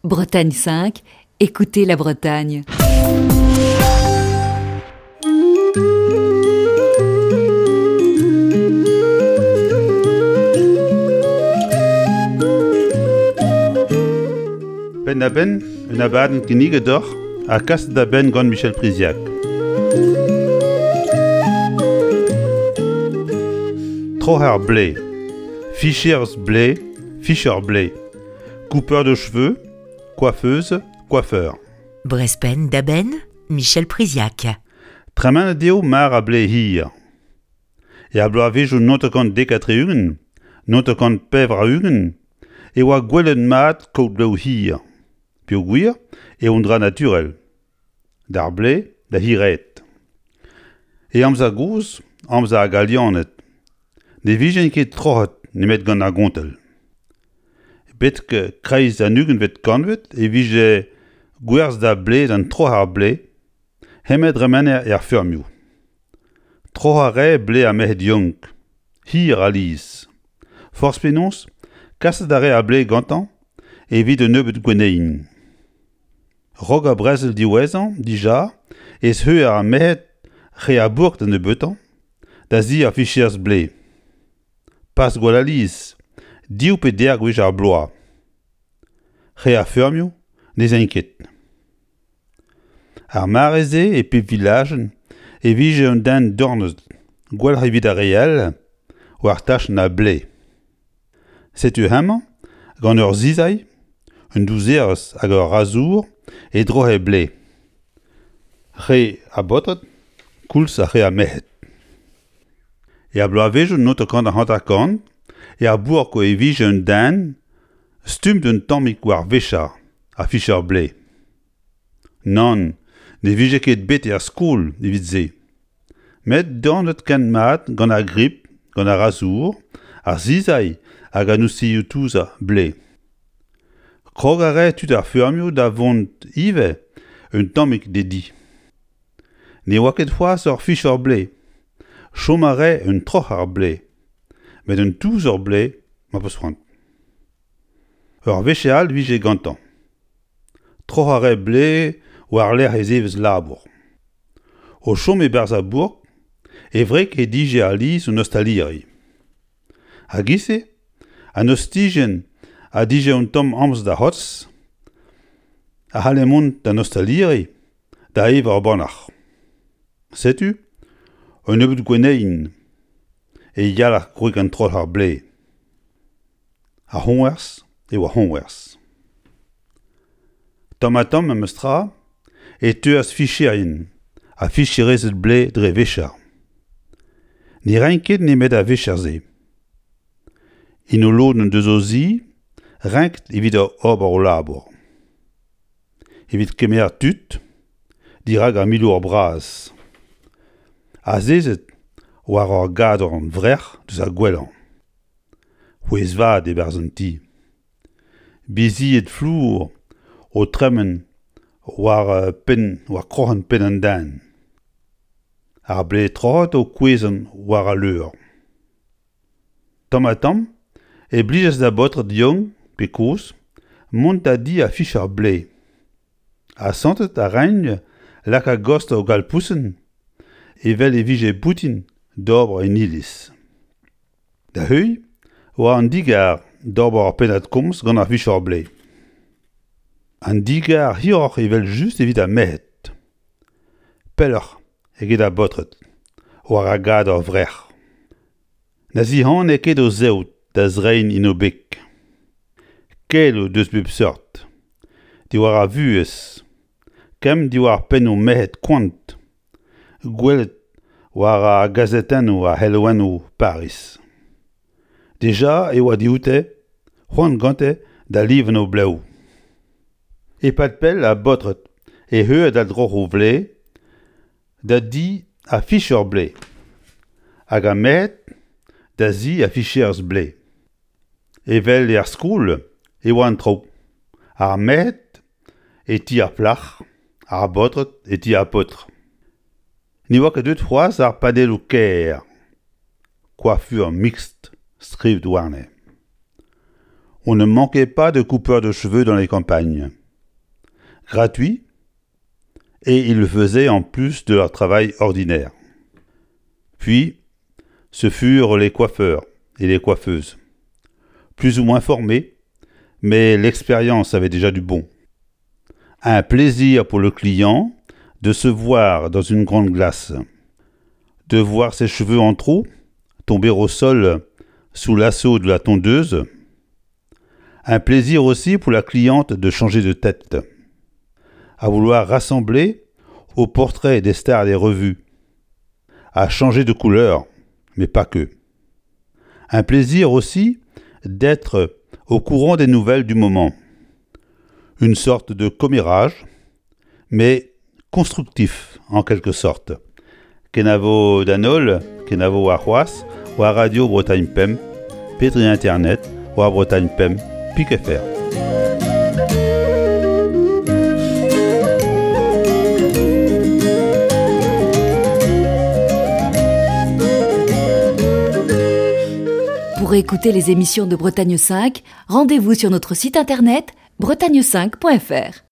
Bretagne 5, écoutez la Bretagne. Penn-da-benn, un abadenn kinniget deoc'h ha kaset da benn gant Michel Priziac. Troc'her blez, ficherz blez, ficher blez. Coupeur de cheveux, coiffeuse, coiffeur. Brespenn da benn, Michel Priziac. Tremenet eo mar a blez hir. Er bloavezhioù 1970, 1984 e oa gwelet mat kaout blev hir, peogwir eo un dra naturel. D'ar blez da hiraet. E amzer gozh, amzer ar Galianed, ne vijent ket troc'het nemet gant ar gontell. Betek kreiz an ugentvet kantved e vije gwerzh da blez an troc'h ar blez, hemañ dremener er feurmioù. Troc'hañ a rae blez ar merc'hed yaouank, hir alies. Forzh penaos, kaset a rae ar blez gantañ evit un nebeud gwenneien. Raok ar brezel diwezhañ dija ez heu ar merc'hed re a bourk da nebeutañ da zi ar ficherz blez. Pas gwall alies, div pe deir gwech ar bloaz. Re ar feurmioù ne'z aint ket. Ar mare-se e pep vilajenn e vije un den dornet gwelloc'h evit ar re all war tachenn ar blez. Setu hemañ gant ur sizailh, un douzerez hag ur razour e droc'he blev. Re a baotred koulz ha re a merc'hed. Er bloavezhioù 1950 er bourk e vije un den stummet un tammig war vechañ ha fichañ blev. Nann, ne vije ket bet er skol evit se. Met dornet ken mat gant ar grip, gant ar razour, ar sizailh hag an oustilhoù-touzañ blev. Krog a rae tud ar feurmioù da vont ivez un tammig d'e di. Ne oa ket c'hoazh ur ficher blev. Chom a rae un troc'her blev. Met un touzer blev ma peus c'hoant. Ur wech all 'vije gantañ. Troc'hañ a rae blev war-lerc'h e zevezh labour. O chom e-barzh ar bourk, e wreg he dije alies un ostaliri. A-giz-se, an ostijenn a dije un tamm amzer da c'hortoz, a c'halle mont d'an ostaliri da evañ ur bannac'h. Setu un nebeud gwenneien e yalc'h gwreg an troc'h ar blez. Ar c'hoñvers eo ar c'hoñvers. Tamm-ha-tamm memes tra e teuas ficherien ha ficherezed blez dre vecher. Ne raent ket nemet ar vecher-se. En o lodenn deus o zi renket evit ober o labour. Evit kemer tud dirak ar milour bras. Azezet war ur gador-vrec'h deus ar gwellañ. C'hwezh vat e-barzh an ti. Bizied flour o tremen war penn war kroc'hen penn an den. Ar blez troc'het o kouezhañ war al leur. Tamm-ha-tamm e blijas da baotred yaouank pe kozh mont da di ha fichañ ar blez. Asantet a raent lakaat gost o galpousenn evel e vije boutin d'ober en iliz. Da heuilh oa an digar d'ober ur pennad-komz gant ar vicher-blez. An digar hiroc'h evel-just evit ar merc'hed. Pelloc'h eget ar baotred, war ar gador-vrec'h. Na zihane ket o zeod da zreiñ en o beg. Keloù deus bep seurt, diwar ar vuhez, kemm diwar pennoù merc'hed koant, gwelet war ar gazetennoù ar c'helouennoù Pariz. Dija e oa dioute c'hoant gante da livañ o blev. E-pad pell ar baotred e heue da droc'h o vlez da di ar ficher-blez hag ar merc'hed da zi ar ficherez-blez. Evel er skol e oa an traoù. Ar merc'hed e ti ar plac'h, ar baotred e ti ar paotr. Ne oa ket deuet c'hoazh ar padelloù kaer, coiffure mixte skrivet warne. On ne manquait pas de coupeurs de cheveux dans les campagnes. Gratuit, et ils le faisaient en plus de leur travail ordinaire. Puis, ce furent les coiffeurs et les coiffeuses, plus ou moins formés, mais l'expérience avait déjà du bon. Un plaisir pour le client de se voir dans une grande glace, de voir ses cheveux en trop tomber au sol sous l'assaut de la tondeuse. Un plaisir aussi pour la cliente de changer de tête, à vouloir rassembler au portrait des stars des revues, à changer de couleur, mais pas que. Un plaisir aussi d'être au courant des nouvelles du moment. Une sorte de commérage, mais constructif en quelque sorte. Kenavo d'an holl, kenavo warc'hoazh, war Radio Bretagne Pemp, pe dre internet war Bretagne Pemp pik fr. Pour écouter les émissions de Bretagne 5, rendez-vous sur notre site internet bretagne5.fr.